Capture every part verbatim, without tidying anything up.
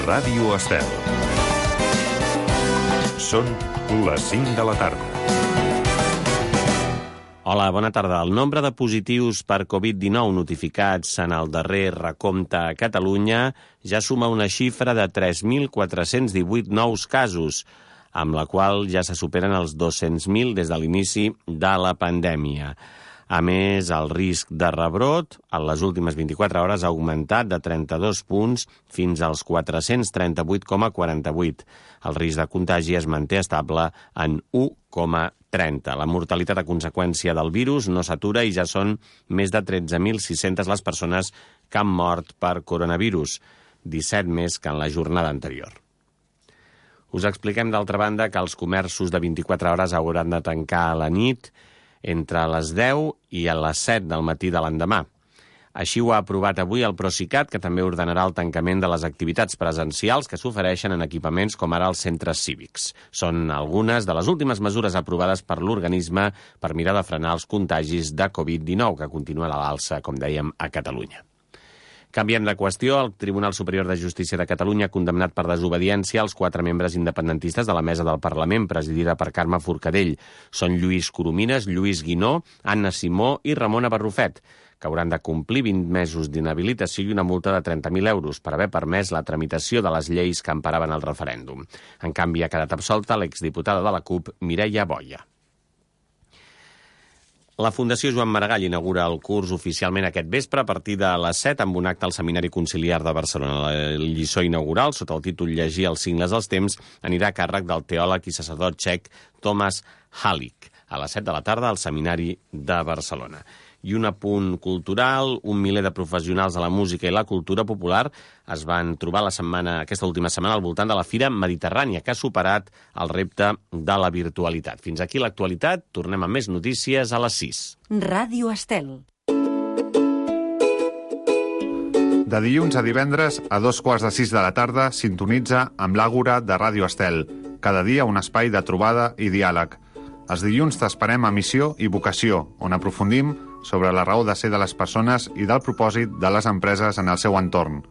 Ràdio Estel. Són les cinc de la tarda. Hola, bona tarda. El nombre de positius per covid dinou notificats en el darrer recompte a Catalunya ja suma una xifra de tres mil quatre-cents divuit nous casos, amb la qual ja se superen els dos-cents mil des de l'inici de la pandèmia. A més, el risc de rebrot en les últimes vint-i-quatre hores ha augmentat de trenta-dos punts fins als quatre-cents trenta-vuit coma quaranta-vuit. El risc de contagi es manté estable en u coma trenta. La mortalitat a conseqüència del virus no s'atura i ja són més de tretze mil sis-centes les persones que han mort per coronavirus, disset més que en la jornada anterior. Us expliquem, d'altra banda, que els comerços de vint-i-quatre hores hauran de tancar a la nit entre les deu i a les set del matí de l'endemà. Així ho ha aprovat avui el Procicat, que també ordenarà el tancament de les activitats presencials que s'ofereixen en equipaments com ara els centres cívics. Són algunes de les últimes mesures aprovades per l'organisme per mirar de frenar els contagis de covid dinou, que continua a l'alça, com dèiem, a Catalunya. Canviem de qüestió. El Tribunal Superior de Justícia de Catalunya ha condemnat per desobediència els quatre membres independentistes de la mesa del Parlament, presidida per Carme Forcadell. Són Lluís Coromines, Lluís Guinó, Anna Simó i Ramona Barrufet, que hauran de complir vint mesos d'inhabilitació i una multa de trenta mil euros per haver permès la tramitació de les lleis que emparaven el referèndum. En canvi, ha quedat absolta l'exdiputada de la CUP, Mireia Boia. La Fundació Joan Maragall inaugura el curs oficialment aquest vespre a partir de les set amb un acte al Seminari Conciliar de Barcelona. La lliçó inaugural, sota el títol Llegir els signes dels temps, anirà a càrrec del teòleg i sacerdot txec Tomáš Halík, a les set de la tarda al Seminari de Barcelona. I un apunt cultural: un miler de professionals de la música i la cultura popular es van trobar la setmana, aquesta última setmana al voltant de la Fira Mediterrània, que ha superat el repte de la virtualitat. Fins aquí l'actualitat. Tornem amb més notícies a les sis. Ràdio Estel. De dilluns a divendres, a dos quarts de sis de la tarda, sintonitza amb l'Àgora de Ràdio Estel. Cada dia un espai de trobada i diàleg. Els dilluns t'esperem a Missió i Vocació, on aprofundim sobre la raó de ser de les persones i del propòsit de les empreses en el seu entorn.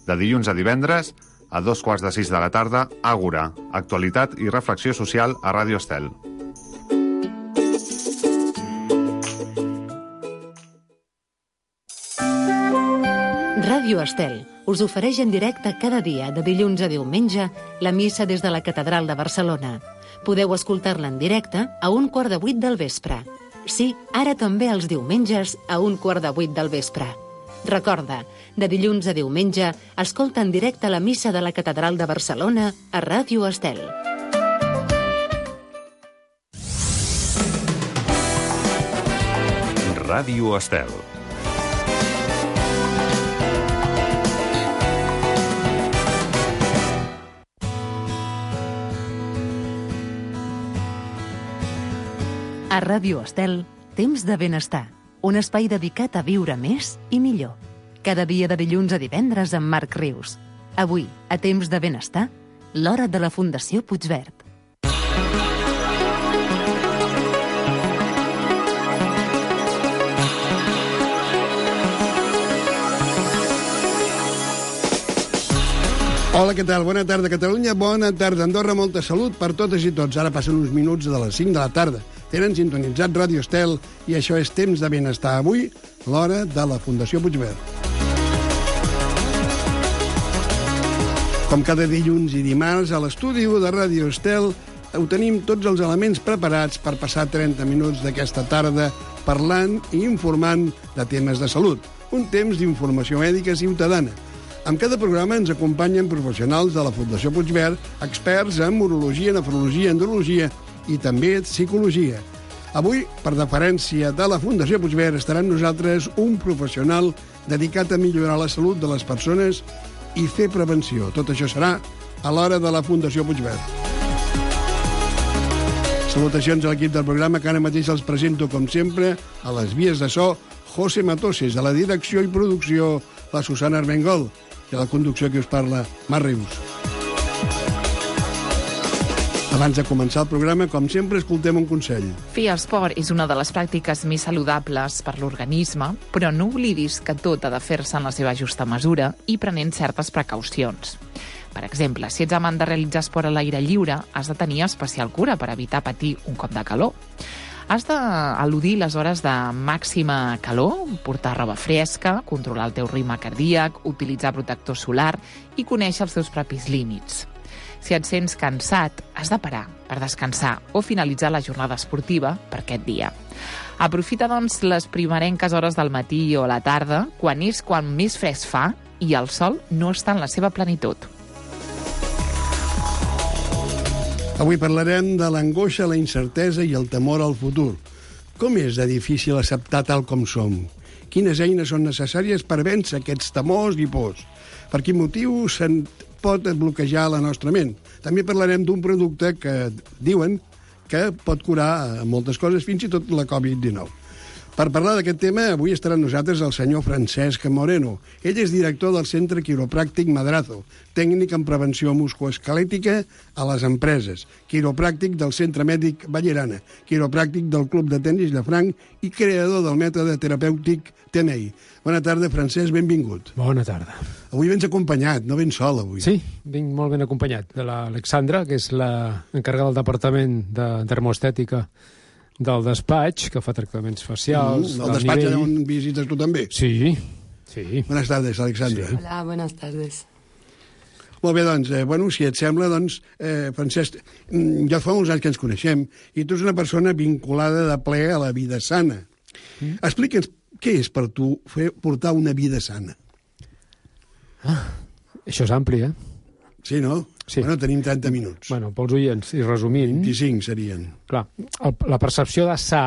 De dilluns a divendres, a dos quarts de sis de la tarda, Àgora, actualitat i reflexió social a Ràdio Estel. Ràdio Estel us ofereix en directe cada dia, de dilluns a diumenge, la missa des de la Catedral de Barcelona. Podeu escoltar-la en directe a un quart de vuit del vespre. Sí, ara també els diumenges a un quart de vuit del vespre. Recorda, de dilluns a diumenge, escolta en directe la missa de la Catedral de Barcelona a Ràdio Estel. Ràdio Estel. A Ràdio Estel, Temps de Benestar, un espai dedicat a viure més i millor. Cada dia de dilluns a divendres amb Marc Rius. Avui, a Temps de Benestar, l'hora de la Fundació Puigverd. Hola, què tal? Bona tarda, Catalunya. Bona tarda, Andorra. Molta salut per totes i tots. Ara passen uns minuts de les cinc de la tarda. Tenen sintonitzat Ràdio Estel i això és Temps de Benestar. Avui, l'hora de la Fundació Puigverd. Com cada dilluns i dimarts, a l'estudi de Ràdio Estel ho tenim tots els elements preparats per passar trenta minuts d'aquesta tarda parlant i informant de temes de salut. Un temps d'informació mèdica ciutadana. En cada programa ens acompanyen professionals de la Fundació Puigverd, experts en urologia, nefrologia, andrologia i també psicologia. Avui, per deferència de la Fundació Puigverd, estarà amb nosaltres un professional dedicat a millorar la salut de les persones i fer prevenció. Tot això serà a l'hora de la Fundació Puigverd. Salutacions a l'equip del programa, que ara mateix els presento, com sempre, a les vies de so, José Matoses, a la direcció i producció, la Susana Armengol, i a la conducció que us parla, Marc Rius. Abans de començar el programa, com sempre, escoltem un consell. Fer esport és una de les pràctiques més saludables per l'organisme, però no oblidis que tot ha de fer-se en la seva justa mesura i prenent certes precaucions. Per exemple, si ets amant de realitzar esport a l'aire lliure, has de tenir especial cura per evitar patir un cop de calor. Has d'eludir les hores de màxima calor, portar roba fresca, controlar el teu ritme cardíac, utilitzar protector solar i conèixer els teus propis límits. Si et sents cansat, has de parar per descansar o finalitzar la jornada esportiva per aquest dia. Aprofita, doncs, les primerenques hores del matí o a la tarda, quan és quan més fresc fa i el sol no està en la seva plenitud. Avui parlarem de l'angoixa, la incertesa i el temor al futur. Com és de difícil acceptar tal com som? Quines eines són necessàries per vèncer aquests temors i pors? Per quin motiu se'n pot bloquejar la nostra ment? També parlarem d'un producte que diuen que pot curar moltes coses, fins i tot la covid dinou. Per parlar d'aquest tema, avui estarà amb nosaltres el senyor Francesc Moreno. Ell és director del Centre Quiropràctic Madrazo, tècnic en prevenció musculoesquelètica a les empreses, quiropràctic del Centre Mèdic Ballerana, quiropràctic del Club de Tenis Llafranc i creador del mètode terapèutic T M I. Bona tarda, Francesc, benvingut. Bona tarda. Avui vens acompanyat, no vens sol avui. Sí, vinc molt ben acompanyat de l'Alexandra, que és l'encarregada del Departament de Termoestètica del despatx, que fa tractaments facials. Mm, el despatx allà on visites tu també? Sí, sí. Buenas tardes, Alexandra. Sí. Hola, buenas tardes. Molt bé, doncs, eh, bueno, si et sembla, doncs, eh, Francesc, ja fa uns anys que ens coneixem, i tu ets una persona vinculada de ple a la vida sana. Mm. Explica'ns què és per tu fer, portar una vida sana. Ah, això és ampli, eh? Sí, no? Sí. Bueno, tenim trenta minuts. Bueno, pels oients, i resumint... vint-i-cinc serien. Clar, el, la percepció de sa,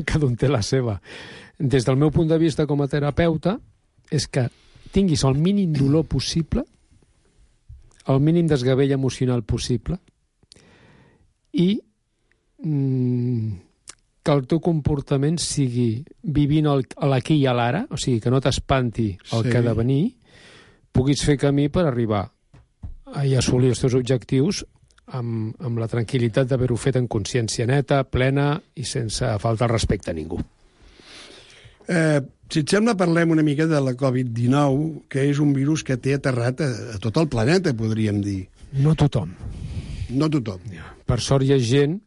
cada un té la seva. Des del meu punt de vista com a terapeuta, és que tinguis el mínim dolor possible, el mínim desgavell emocional possible, i mm, que el teu comportament sigui vivint l'aquí i a l'ara, o sigui, que no t'espanti el Sí. que ha de venir, puguis fer camí per arribar i assolir els teus objectius amb, amb la tranquil·litat d'haver-ho fet en consciència neta, plena i sense faltar el respecte a ningú. Eh, si et sembla, parlem una mica de la covid dinou, que és un virus que té aterrat a, a tot el planeta, podríem dir. No tothom. No tothom. Per sort hi ha gent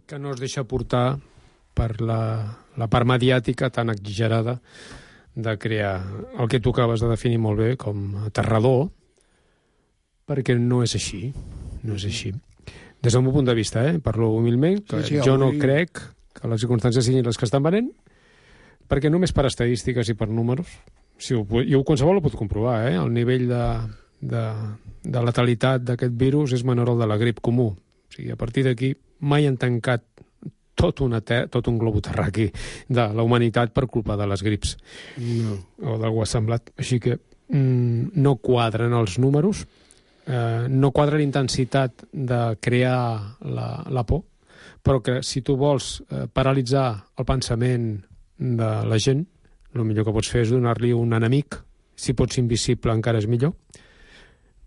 que no es deixa portar per la, la part mediàtica tan exagerada de crear el que tu acabes de definir molt bé com aterrador, perquè no és així. No és així. Des del meu punt de vista, eh? Parlo humilment, que Sí, sí, jo no avui- crec que les circumstàncies siguin les que estan venent, perquè només per estadístiques i per números, si ho, jo qualsevol ho pot comprovar, eh? El nivell de, de, de letalitat d'aquest virus és menor al de la grip comú. O sigui, a partir d'aquí mai han tancat tot, una ter tot un globo terraqui de la humanitat per culpa de les grips. No. O d'algú semblat. Així que mm, no quadren els números, eh, no quadra la intensitat de crear la, la por, però que si tu vols eh, paralitzar el pensament de la gent, el millor que pots fer és donar-li un enemic, si pot ser invisible encara és millor,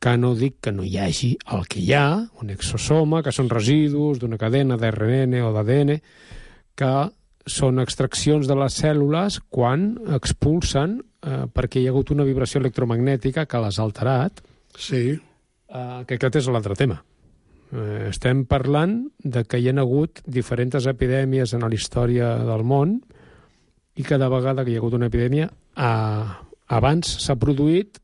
que no dic que no hi hagi el que hi ha, un exosoma, que són residus d'una cadena d'R N A o d'A D N, que són extraccions de les cèl·lules quan expulsen, eh, perquè hi ha hagut una vibració electromagnètica que les ha alterat, Sí. eh, que aquest és l'altre tema. Eh, estem parlant de que hi ha hagut diferents epidèmies en la història del món i cada vegada que hi ha hagut una epidèmia eh, abans s'ha produït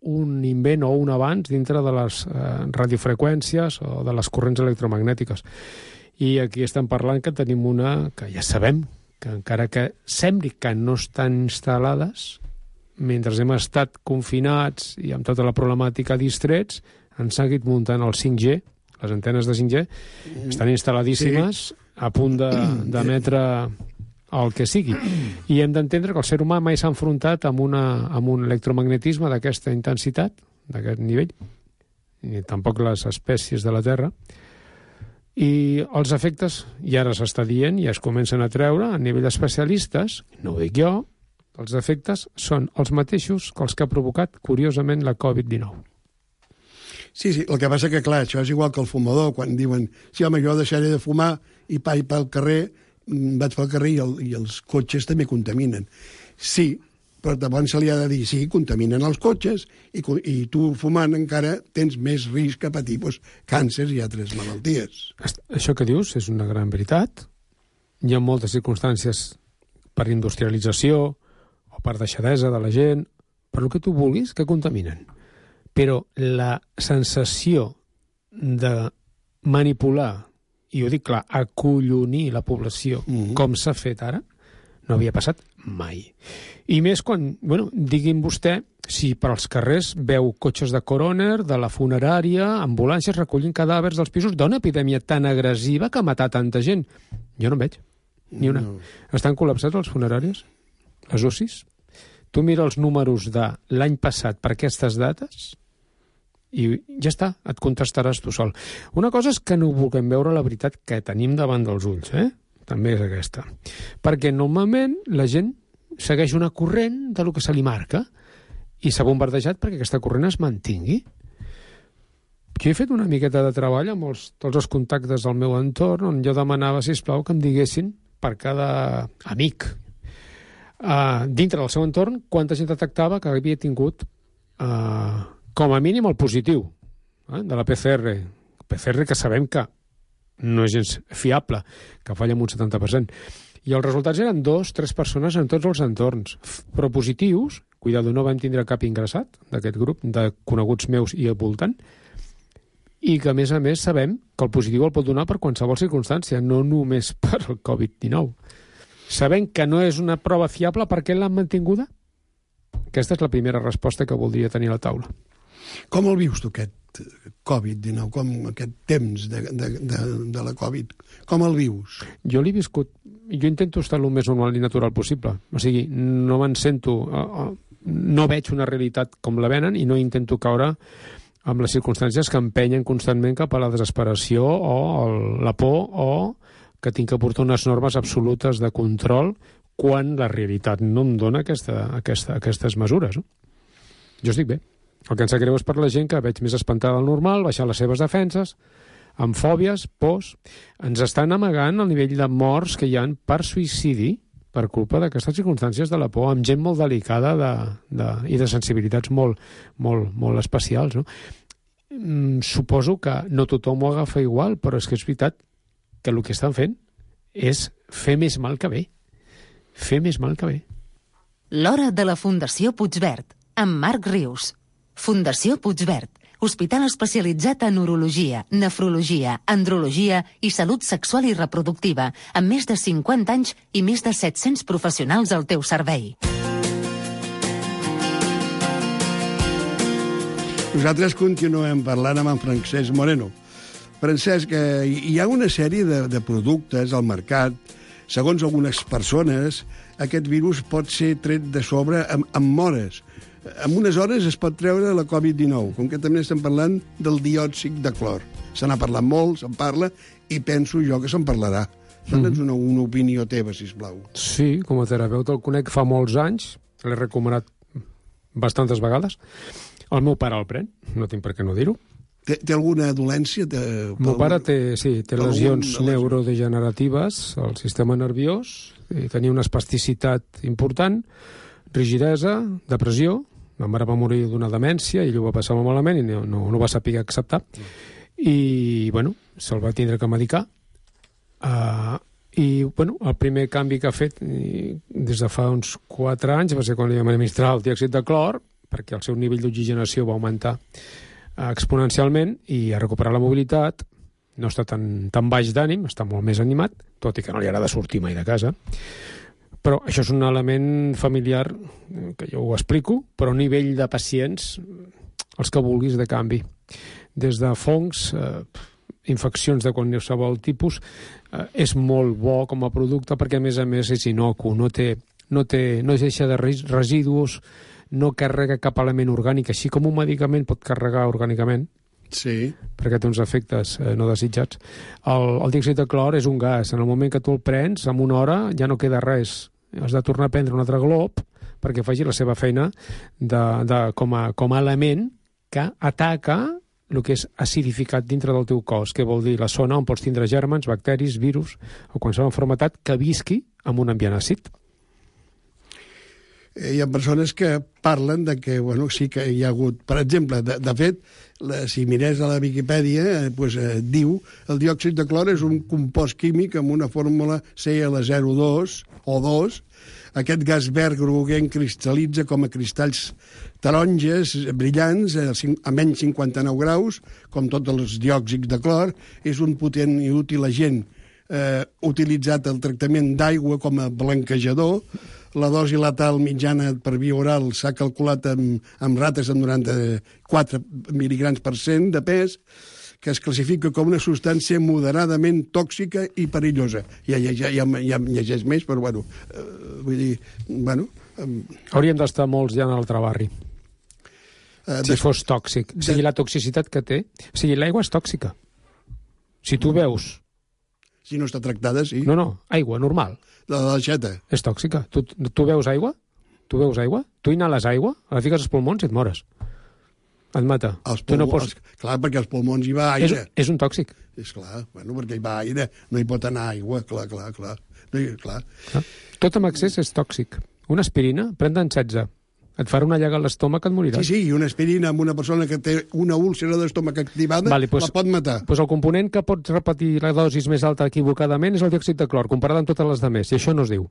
un invent o un avanç dintre de les eh, radiofreqüències o de les corrents electromagnètiques. I aquí estem parlant que tenim una que ja sabem que encara que sembli que no estan instal·lades, mentre hem estat confinats i amb tota la problemàtica distrets, han seguit muntant el cinc G, les antenes de cinc G, estan instal·ladíssimes, sí, a punt d'emetre el que sigui. I hem d'entendre que el ser humà mai s'ha enfrontat amb, una, amb un electromagnetisme d'aquesta intensitat, d'aquest nivell, i tampoc les espècies de la Terra. I els efectes, i ara s'està dient, i es comencen a treure a nivell d'especialistes, no ho dic jo, els efectes són els mateixos que els que ha provocat, curiosament, la covid dinou. Sí, sí, el que passa que, clar, això és igual que el fumador, quan diuen, sí, home, jo deixaré de fumar i vaig pel carrer, vaig pel carrer i, el, i els cotxes també contaminen. Sí, però llavors se li ha de dir, sí, contaminen els cotxes i, i tu fumant encara tens més risc a patir doncs, càncers i altres malalties. Això que dius és una gran veritat. Hi ha moltes circumstàncies per industrialització o per deixadesa de la gent, per el que tu vulguis, que contaminen. Però la sensació de manipular, i ho dic clar, acollonir la població, mm-hmm. com s'ha fet ara, no havia passat mai. I més quan, bueno, digui'm vostè, si per als carrers veu cotxes de coroner, de la funerària, ambulàncies recollint cadàvers dels pisos d'una epidèmia tan agressiva que ha matat tanta gent. Jo no en veig, ni una. No. Estan col·lapsats els funeraris, les U C Is. Tu mira els números de l'any passat per aquestes dates i ja està, et contestaràs tu sol. Una cosa és que no vulguem veure la veritat que tenim davant dels ulls, eh? També és aquesta. Perquè normalment la gent segueix una corrent de lo que se li marca i s'ha bombardejat perquè aquesta corrent es mantingui. Jo he fet una miqueta de treball amb els, tots els contactes del meu entorn on jo demanava, sisplau, que em diguessin per cada amic uh, dintre del seu entorn quanta gent detectava que havia tingut uh, com a mínim el positiu eh, de la P C R. P C R que sabem que no és gens fiable, que falla en un setanta per cent. I els resultats eren dos, tres persones en tots els entorns. Però positius, cuidado, no vam tindre cap ingressat d'aquest grup de coneguts meus i al voltant, i que, a més a més, sabem que el positiu el pot donar per qualsevol circumstància, no només per el covid dinou. Sabem que no és una prova fiable, per què l'han mantinguda? Aquesta és la primera resposta que voldria tenir a la taula. Com el vius tu, aquest covid dinou, com aquest temps de, de, de, de la Covid? Com el vius? Jo l'he viscut, jo intento estar el més normal i natural possible. O sigui, no me'n sento, no veig una realitat com la venen i no intento caure amb les circumstàncies que empenyen constantment cap a la desesperació o el, la por o que tinc que portar unes normes absolutes de control quan la realitat no em dona aquesta, aquesta, aquestes mesures. No? Jo estic bé. El que em sap greu és per la gent que veig més espantada del normal, baixar les seves defenses, amb fòbies, pors. Ens estan amagant el nivell de morts que hi ha per suïcidi per culpa d'aquestes circumstàncies de la por, amb gent molt delicada de, de, i de sensibilitats molt, molt, molt especials. No? Mm, suposo que no tothom ho agafa igual, però és que és veritat que el que estan fent és fer més mal que bé. Fer més mal que bé. L'hora de la Fundació Puigverd, amb Marc Rius. Fundació Puigverd, hospital especialitzat en urologia, nefrologia, andrologia i salut sexual i reproductiva, amb més de cinquanta anys i més de set-cents professionals al teu servei. Nosaltres continuem parlant amb en Francesc Moreno. Francesc, hi ha una sèrie de, de productes al mercat. Segons algunes persones, aquest virus pot ser tret de sobre amb, amb hores. En unes hores es pot treure la covid dinou, com que també estem parlant del diòxid de clor. Se n'ha parlat molt, se'n parla, i penso jo que se'n parlarà. Dona'ns una, una opinió teva, sisplau. Sí, com a terapeuta el conec fa molts anys, l'he recomanat bastantes vegades. El meu pare el pren, no tinc per què no dir-ho. Té, té alguna dolència? Té, el meu pare té, sí, té lesions algun... neurodegeneratives al sistema nerviós, tenia una espasticitat important, rigidesa, depressió. Ma mare va morir d'una demència i ell ho va passar molt malament i no, no, no va saber acceptar. I, bueno, se'l va tindre que medicar. Uh, I, bueno, el primer canvi que ha fet i, des de fa uns quatre anys va ser quan li vam administrar el diòxid de clor, perquè el seu nivell d'oxigenació va augmentar uh, exponencialment i ha recuperat la mobilitat, no està tan, tan baix d'ànim, està molt més animat, tot i que no li agrada sortir mai de casa. Però això és un element familiar que jo ho explico, però a nivell de pacients, els que vulguis de canvi. Des de fongs, eh, infeccions de qualsevol tipus, eh, és molt bo com a producte perquè, a més a més, és inocu, no té, no té, no deixa de residus, no carrega cap element orgànic, així com un medicament pot carregar orgànicament, sí, perquè té uns efectes eh, no desitjats. El, el diòxid de clor és un gas. En el moment que tu el prens, en una hora ja no queda res. Has de tornar a prendre un altre glob perquè faci la seva feina de, de, com, a, com a element que ataca el que és acidificat dintre del teu cos, que vol dir la zona on pots tindre gèrmens, bacteris, virus o qualsevol malaltia que visqui en un ambient àcid. Eh, hi ha persones que parlen de que, bueno, sí que hi ha hagut... Per exemple, de, de fet, la, si mirés a la Viquipèdia, eh, pues, eh, diu el diòxid de clor és un compost químic amb una fórmula C L zero dos o dos. Aquest gas verd groguenc cristal·litza com a cristalls taronges brillants a menys cinquanta-nou graus, com tots els diòxids de clor. És un potent i útil agent eh, utilitzat al tractament d'aigua com a blanquejador. La dosi letal mitjana per via oral s'ha calculat amb, amb rates amb noranta-quatre mil·ligrams per cent de pes, que es classifica com una substància moderadament tòxica i perillosa. Ja, ja, ja, ja, ja llegeix més, però, bueno, eh, vull dir, bueno... Eh, Hauríem d'estar molts ja en l'altre barri. Eh, si de... fos tòxic. O sigui, la toxicitat que té... O sigui, l'aigua és tòxica. Si tu veus... Si no està tractada, sí. No, no, aigua, normal. La de l'aixeta. És tòxica. Tu, tu veus aigua? Tu veus aigua? Tu inhales aigua? La fiques als pulmons i et mores. Et mata. Els pulmons, no pots... els, clar, perquè als pulmons hi va aire. És, és un tòxic. És clar, bueno, perquè hi va aire, no hi pot anar aigua, clar, clar, clar. No hi, clar. clar. Tot amb excés és tòxic. Una aspirina, pren-te'n setze. Et farà una llaga a l'estómac, et moriràs. Sí, sí, i una aspirina amb una persona que té una úlcera d'estómac activada vale, pues, la pot matar. Doncs pues el component que pot repetir la dosis més alta equivocadament és el diòxid de clor, comparat amb totes les demés, i això no es diu,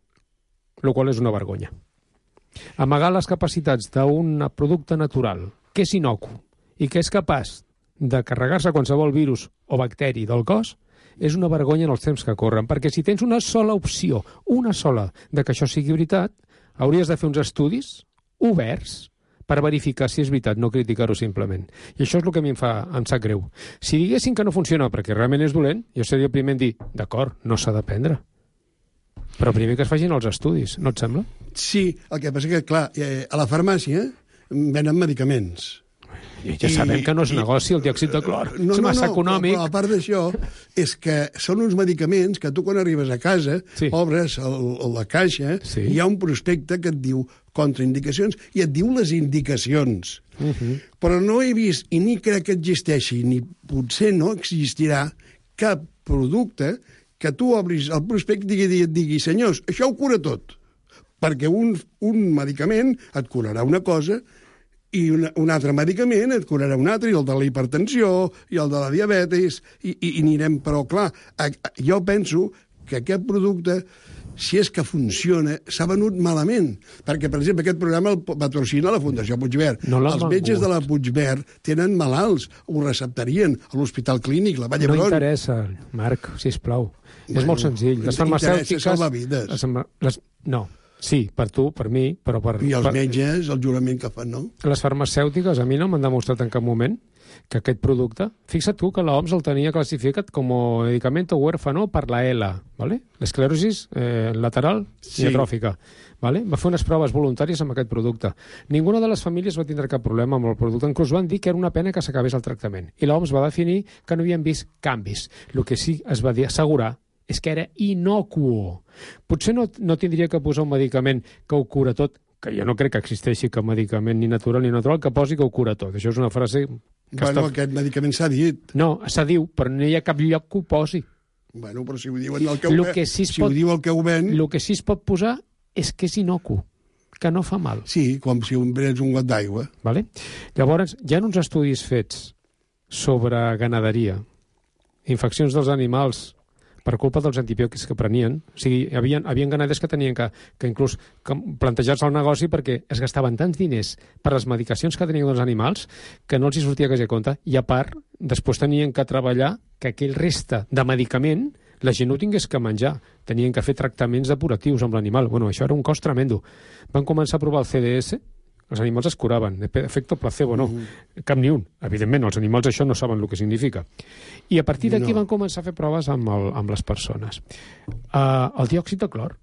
el qual és una vergonya. Amagar les capacitats d'un producte natural que és inocu i que és capaç de carregar-se qualsevol virus o bacteri del cos és una vergonya en els temps que corren, perquè si tens una sola opció, una sola, de que això sigui veritat, hauries de fer uns estudis oberts per verificar si és veritat, no criticar-ho simplement. I això és el que a mi em fa, em sap greu. Si diguessin que no funciona perquè realment és dolent, jo seria el primer en dir, d'acord, no s'ha de prendre. Però primer que es facin els estudis, no et sembla? Sí, el que passa que, clar, eh, a la farmàcia venen medicaments. I ja sabem I, que no és negoci el diòxid de clor. No, és massa no, no, econòmic. Però a part d'això, és que són uns medicaments que tu quan arribes a casa, sí. obres el, la caixa, sí. hi ha un prospecte que et diu contraindicacions i et diu les indicacions. Uh -huh. Però no he vist, i ni crec que existeixi, ni potser no existirà cap producte que tu obris el prospecte i et digui, senyors, això ho cura tot. Perquè un, un medicament et curarà una cosa i un, un altre medicament et curarà un altre, i el de la hipertensió, i el de la diabetis, i, i, i anirem... Però, clar, a, a, jo penso que aquest producte, si és que funciona, s'ha venut malament. Perquè, per exemple, aquest programa el patrocina la Fundació Puigverd. No Els metges de la Puigverd tenen malalts, ho receptarien a l'Hospital Clínic, la Vall d'Hebron. No interessa, Marc, sisplau. Bueno, és molt senzill. Les farmacèutiques... salvar vides. Les, les, no. Sí, per tu, per mi, però per... I els per... metges, el jurament que fan, no? Les farmacèutiques a mi no m'han demostrat en cap moment que aquest producte... Fixa't tu que l'O M S el tenia classificat com a medicamento huérfano per la E L A, ¿vale? L'esclerosis eh, lateral sí. atròfica. ¿Vale? Va fer unes proves voluntàries amb aquest producte. Ninguna de les famílies va tindre cap problema amb el producte. Inclús van dir que era una pena que s'acabés el tractament. I l'O M S va definir que no havien vist canvis. El que sí es va dir, assegurar és que era inocuo. Potser no, no tindria que posar un medicament que ho cura tot, que jo no crec que existeixi cap medicament ni natural ni natural que posi que ho cura tot. Això és una frase... Que bueno, està... aquest medicament s'ha dit. No, s'ha diu, però no hi ha cap lloc que ho posi. Bueno, però si ho diuen el que ho, lo que sí si pot... ho diu el que ho ven... El que sí es pot posar és que és inocu, que no fa mal. Sí, com si un prens un got d'aigua. Vale? Llavors, hi ha uns estudis fets sobre ganaderia, infeccions dels animals per culpa dels antibiòtics que prenien. O sigui, hi havia, hi havia ganaders que tenien que, que inclús que plantejar-se el negoci perquè es gastaven tants diners per les medicacions que tenien els animals que no els hi sortia quasi a compte. I a part, després tenien que treballar que aquell resta de medicament la gent no tingués que menjar. Tenien que fer tractaments depuratius amb l'animal. Bueno, això era un cost tremendo. Van començar a provar el C D S, els animals es curaven. Efecte placebo, no. Mm-hmm. Cap ni un. Evidentment, els animals això no saben el que significa. I a partir d'aquí no. van començar a fer proves amb, el, amb les persones. Uh, el diòxid de clor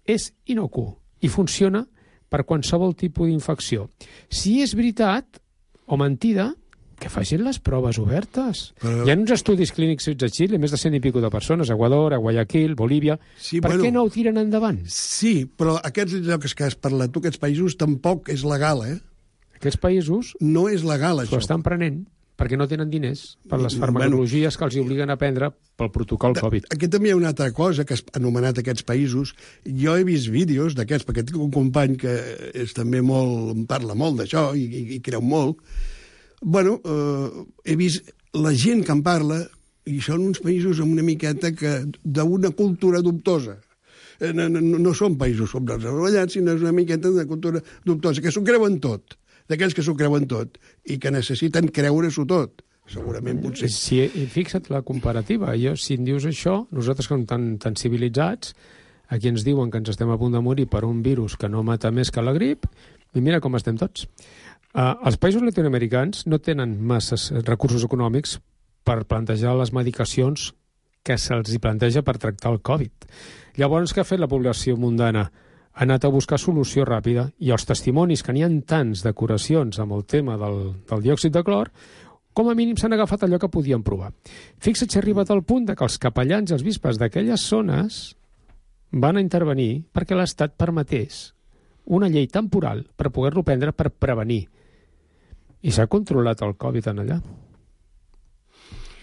és inocu i funciona per qualsevol tipus d'infecció. Si és veritat o mentida, que facin les proves obertes. Però... Hi ha uns estudis clínics fets a Xile, més de cent i pico de persones, a Equador, a Guayaquil, Bolívia. Sí, per bueno, què no ho tiren endavant? Sí, però aquests llocs que has parlat tu, aquests països, tampoc és legal, eh? Aquests països... No és legal, això. Ho estan prenent. perquè no tenen diners per les farmacologies que els obliguen a prendre pel protocol Covid. Aquí també hi ha una altra cosa que has anomenat aquests països. Jo he vist vídeos d'aquests, perquè tinc un company que és també molt, em parla molt d'això i, i, i creu molt. Bueno, eh, he vist la gent que en parla i són uns països amb una miqueta que d'una cultura dubtosa. No, no, no són països subdesarrollats, sinó és una miqueta de cultura dubtosa, que s'ho creuen tot, d'aquells que s'ho creuen tot i que necessiten creure-s'ho tot. Segurament, potser. Si, i fixa't la comparativa. Jo, si em dius això, nosaltres que som tan, tan civilitzats, aquí ens diuen que ens estem a punt de morir per un virus que no mata més que la grip, i mira com estem tots. Uh, els països latinoamericans no tenen masses recursos econòmics per plantejar les medicacions que se'ls hi planteja per tractar el Covid. Llavors, què ha fet la població mundana? Ha anat a buscar solució ràpida i els testimonis, que n'hi ha tants de curacions amb el tema del, del diòxid de clor, com a mínim s'han agafat allò que podien provar. Fixa't si ha arribat al punt de que els capellans i els bisbes d'aquelles zones van a intervenir perquè l'Estat permetés una llei temporal per poder-lo prendre per prevenir. I s'ha controlat el Covid en allà.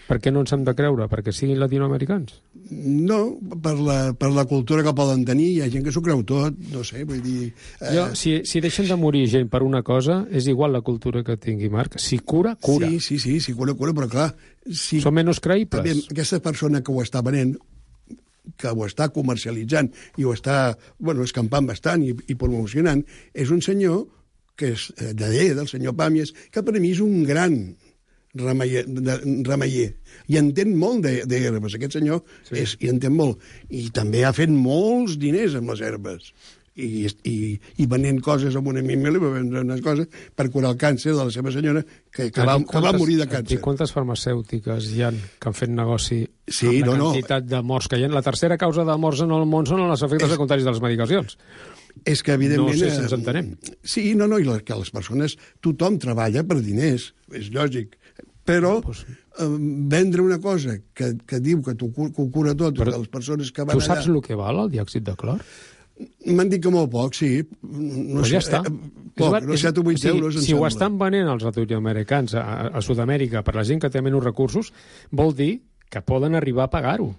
Per què no ens hem de creure? Perquè siguin latinoamericans? No, per la, per la cultura que poden tenir, hi ha gent que s'ho creu tot, no sé, vull dir... Eh... Jo, si, si deixen de morir gent per una cosa, és igual la cultura que tingui Marc. Si cura, cura. Sí, sí, sí, sí cura, cura, però clar... Si... Són menys creïbles. També, aquesta persona que ho està venent, que ho està comercialitzant i ho està, bueno, escampant bastant i, i promocionant, és un senyor que és de D, del senyor Pàmies, que per mi és un gran... Remeier, de, remeier. I entén molt d'herbes. Aquest senyor sí. és, i entén molt. I també ha fet molts diners amb les herbes. I, i, i venent coses amb una mimel, va vendre unes coses per curar el càncer de la seva senyora, que, que, va, que va morir de càncer. I quantes farmacèutiques hi ha que han fet negoci sí, amb la no, quantitat no. de morts que hi ha? La tercera causa de morts en el món són els efectes és... secundaris de les medicacions. És que, evidentment... No sé si ens entenem. Sí, no, no, i les, que les persones... Tothom treballa per diners, és lògic. Però eh, vendre una cosa que, que diu que, tu, que ho cura tot, però, de les persones que van allà... Tu saps allà... el que val, el diòxid de clor? M'han dit que molt poc, sí. No pues sé, ja està. Eh, poc, és, no sé, set o vuit sí, euros, si ho estan venent els latinoamericans a, a Sud-amèrica per la gent que té menys recursos, vol dir que poden arribar a pagar-ho.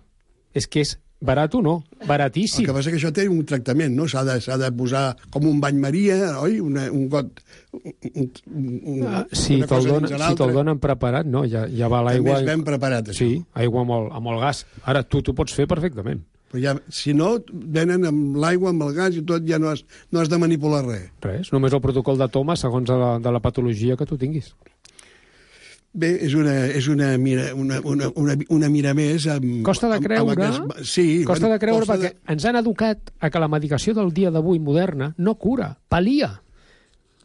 És que és barat o no, baratíssim. El que passa que això té un tractament, no? S'ha de, s'ha de posar com un bany maria, oi? Una, un got... Un, un, uh, si te'l donen, si te donen preparat, no, ja, ja va l'aigua... També és ben preparat, això. Sí, aigua amb el, amb el gas. Ara, tu t'ho pots fer perfectament. Però ja, si no, venen amb l'aigua, amb el gas i tot, ja no has, no has de manipular res. Res, només el protocol de toma segons de la, de la patologia que tu tinguis. Bé, és una, és una, mira, una, una, una, una mira més... Amb, costa de creure, amb, amb sí, costa bueno, de creure costa perquè de... ens han educat a que la medicació del dia d'avui moderna no cura, palia.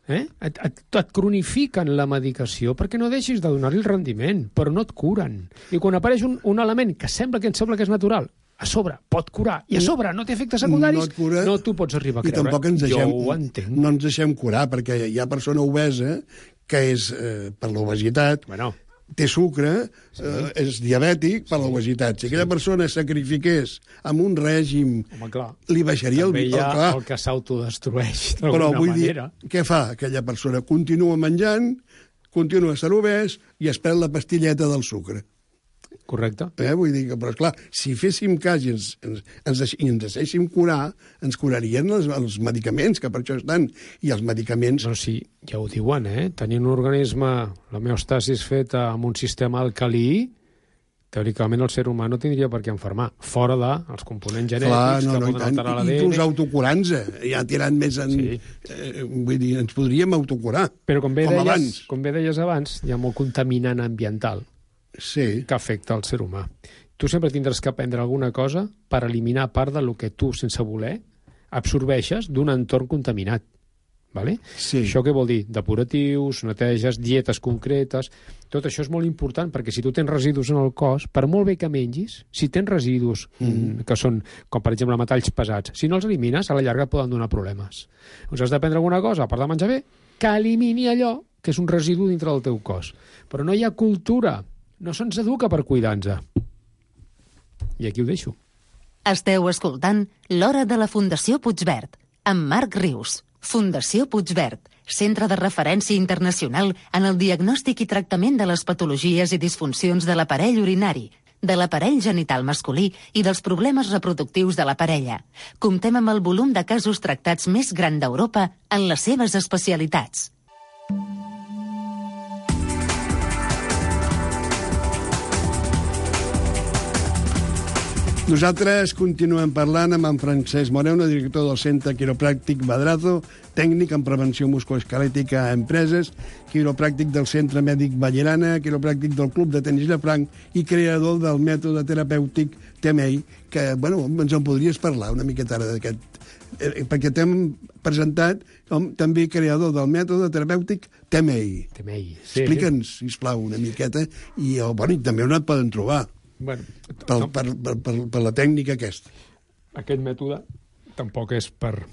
Eh? Et, et, et cronifiquen la medicació perquè no deixis de donar-li el rendiment, però no et curen. I quan apareix un, un element que sembla que ens sembla que és natural, a sobre pot curar, i a sobre no té efectes secundaris, no, cura, no t'ho pots arribar a creure. I tampoc ens deixem, jo ho entenc. No ens deixem curar, perquè hi ha persona obesa que és, eh, per l'obesitat, bueno, té sucre, sí. eh, és diabètic per sí. l'obesitat. Si aquella sí. persona sacrifiqués amb un règim, home, clar, li baixaria també el... També hi ha clar. el que s'autodestrueix d'alguna Però vull manera. dir, què fa aquella persona? Continua menjant, continua sent obès i es pren la pastilleta del sucre. Correcte. Eh? Vull dir que, però esclar, si féssim cas i ens, ens, ens, deix, i ens deixéssim curar, ens curarien els, els medicaments, que per això estan. I els medicaments... No, sí, ja ho diuen, eh? Tenir un organisme, l'homeostasis feta amb un sistema alcalí, teòricament el ser humà no tindria per què enfermar, fora dels components genètics clar, no, que no, poden alterar l'A D N. I inclús autocurant-se, ja tirant més en... Sí. Eh, vull dir, ens podríem autocurar, però com bé, com deies, abans. Com bé deies abans, hi ha molt contaminant ambiental sí. que afecta el ser humà. Tu sempre tindràs que aprendre alguna cosa per eliminar part del que tu, sense voler, absorbeixes d'un entorn contaminat. Vale? Sí. Això què vol dir? Depuratius, neteges, dietes concretes... Tot això és molt important, perquè si tu tens residus en el cos, per molt bé que mengis, si tens residus mm. que són, com per exemple metalls pesats, si no els elimines, a la llarga poden donar problemes. Doncs has d'aprendre alguna cosa, a part de menjar bé, que elimini allò que és un residu dintre del teu cos. Però no hi ha cultura, no se'ns educa per cuidar-nos. I aquí ho deixo. Esteu escoltant L'Hora de la Fundació Puigverd, amb Marc Rius. Fundació Puigverd, centre de referència internacional en el diagnòstic i tractament de les patologies i disfuncions de l'aparell urinari, de l'aparell genital masculí i dels problemes reproductius de la parella. Comptem amb el volum de casos tractats més gran d'Europa en les seves especialitats. Nosaltres continuem parlant amb en Francesc Moreno, director del Centre Quiropràctic Madrazo, tècnic en prevenció musculoesquelètica a empreses, quiropràctic del Centre Mèdic Ballerana, quiropràctic del Club de Tenis Llafranc i creador del mètode terapèutic T M I, que, bueno, ens en podries parlar una miqueta ara d'aquest... Eh, perquè t'hem presentat com també creador del mètode terapèutic T M I. T M I, sí. Explica'ns, sisplau, una miqueta, i, oh, bueno, i també on et poden trobar. Bueno, per, per, per, per, per la tècnica aquesta. Aquest mètode tampoc és per...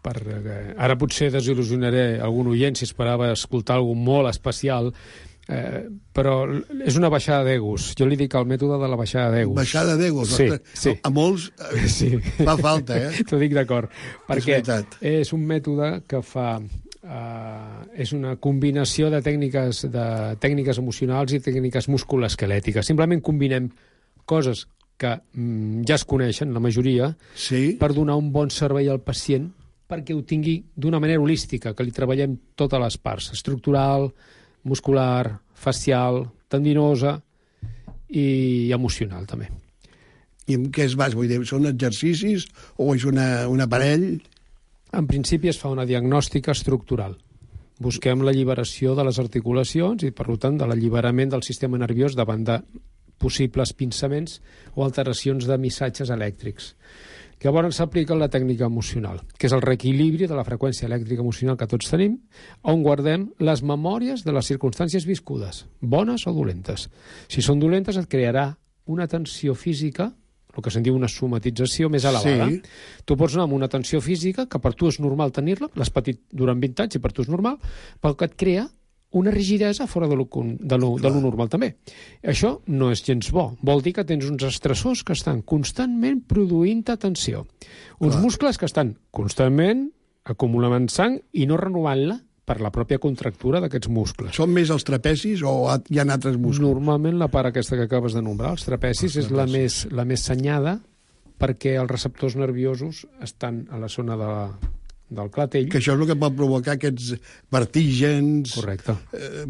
per eh, ara potser desil·lusionaré algun oient si esperava escoltar alguna molt especial, eh, però és una baixada d'egos. Jo li dic el mètode de la baixada d'egos. Baixada d'egos? Sí, sí. A, a molts eh, sí. fa falta, eh? T'ho dic d'acord. Perquè és, és un mètode que fa... Uh, és una combinació de tècniques, de tècniques emocionals i tècniques musculoesquelètiques. Simplement combinem coses que mm, ja es coneixen, la majoria, sí, per donar un bon servei al pacient perquè ho tingui d'una manera holística, que li treballem totes les parts, estructural, muscular, facial, tendinosa i emocional, també. I en què es basa? Vull dir, són exercicis o és una, un aparell? En principi es fa una diagnòstica estructural. Busquem l'alliberació de les articulacions i, per tant, de l'alliberament del sistema nerviós davant de possibles pinçaments o alteracions de missatges elèctrics. Llavors s'aplica la tècnica emocional, que és el reequilibri de la freqüència elèctrica emocional que tots tenim, on guardem les memòries de les circumstàncies viscudes, bones o dolentes. Si són dolentes, et crearà una tensió física, el que se'n diu una somatització més elevada. Sí. Tu pots anar amb una tensió física, que per tu és normal tenir-la, l'has patit durant vint anys i per tu és normal, però que et crea una rigidesa fora de lo, de lo, de lo normal també. Això no és gens bo. Vol dir que tens uns estressors que estan constantment produint-te tensió. Uns Clar. muscles que estan constantment acumulant sang i no renovant-la per la pròpia contractura d'aquests muscles. Són més els trapecis o hi ha altres muscles? Normalment la part aquesta que acabes de nombrar, els trapecis, els és la més, la més senyada perquè els receptors nerviosos estan a la zona de, del clatell. Que això és el que pot provocar aquests vertígens, Correcte. Eh,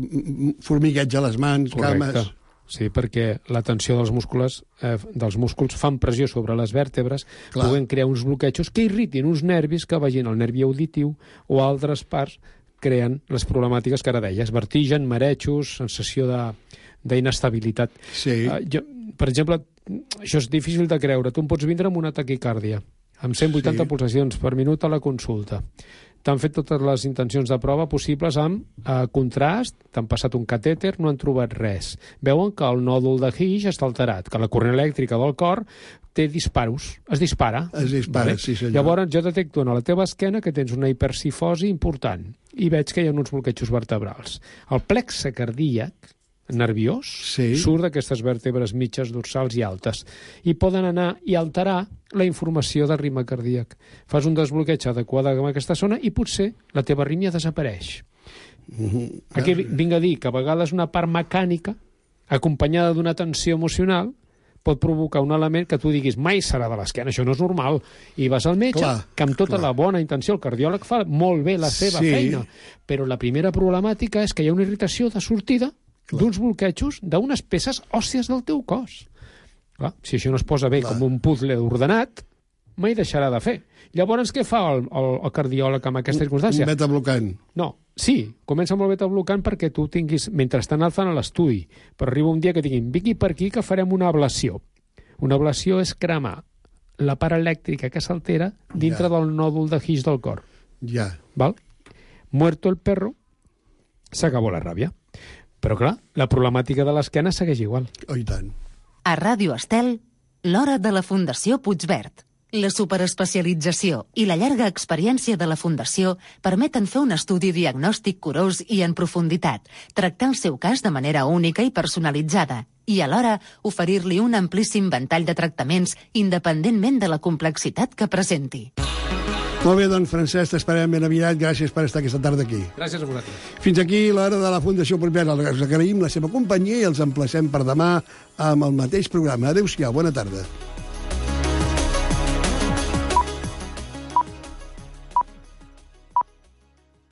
formigueig a les mans, Correcte. cames... Sí, perquè la tensió dels músculs, eh, dels músculs fan pressió sobre les vèrtebres, Clar. puguen crear uns bloquejos que irritin uns nervis que vagin al nervi auditiu o a altres parts, creen les problemàtiques que ara deies, vertigen, marejos, sensació d'inestabilitat. Sí. Uh, jo, per exemple, això és difícil de creure. Tu em pots vindre amb una taquicàrdia, amb cent vuitanta Sí. pulsacions per minut a la consulta. T'han fet totes les intencions de prova possibles amb eh, contrast, t'han passat un catèter, no han trobat res. Veuen que el nòdul de Higgs està alterat, que la corrent elèctrica del cor té disparos, es dispara. Es dispara, vale? Sí senyor. Llavors jo detecto en la teva esquena que tens una hipercifosi important i veig que hi ha uns bloquejos vertebrals. El plexe cardíac nerviós sí. surt d'aquestes vèrtebres mitges, dorsals i altes i poden anar i alterar la informació del ritme cardíac. Fas un desbloqueig adequat en aquesta zona i potser la teva arrítmia desapareix. Uh-huh. Aquí vinc a dir que a vegades una part mecànica acompanyada d'una tensió emocional pot provocar un element que tu diguis mai serà de l'esquena, això no és normal, i vas al metge, clar, que amb tota clar. la bona intenció el cardiòleg fa molt bé la seva sí. feina, però la primera problemàtica és que hi ha una irritació de sortida d'uns bloquejos d'unes peces òssies del teu cos. Clar, si això no es posa bé clar. com un puzzle ordenat, mai deixarà de fer. Llavors, què fa el, el, el cardiòleg amb aquesta circumstància? Un beta-blocant. No, sí, comença amb el beta-blocant perquè tu tinguis, mentre estan alçant a l'estudi, però arriba un dia que tinguin, vingui per aquí que farem una ablació. Una ablació és cremar la part elèctrica que s'altera dintre ja. del nòdul de Higgs del cor. Ja. Val? Muerto el perro, s'acabó la ràbia. Però clar, la problemàtica de l'esquena segueix igual. Oh, i tant. A Ràdio Estel, l'hora de la Fundació Puigverd. La superespecialització i la llarga experiència de la Fundació permeten fer un estudi diagnòstic curós i en profunditat, tractar el seu cas de manera única i personalitzada i alhora oferir-li un amplíssim ventall de tractaments independentment de la complexitat que presenti. Molt bé, doncs, Francesc, t'esperem ben aviat. Gràcies per estar aquesta tarda aquí. Gràcies a vosaltres. Fins aquí l'hora de la Fundació Propera. Els agraïm la seva companyia i els emplacem per demà amb el mateix programa. Adéu-siau, bona tarda.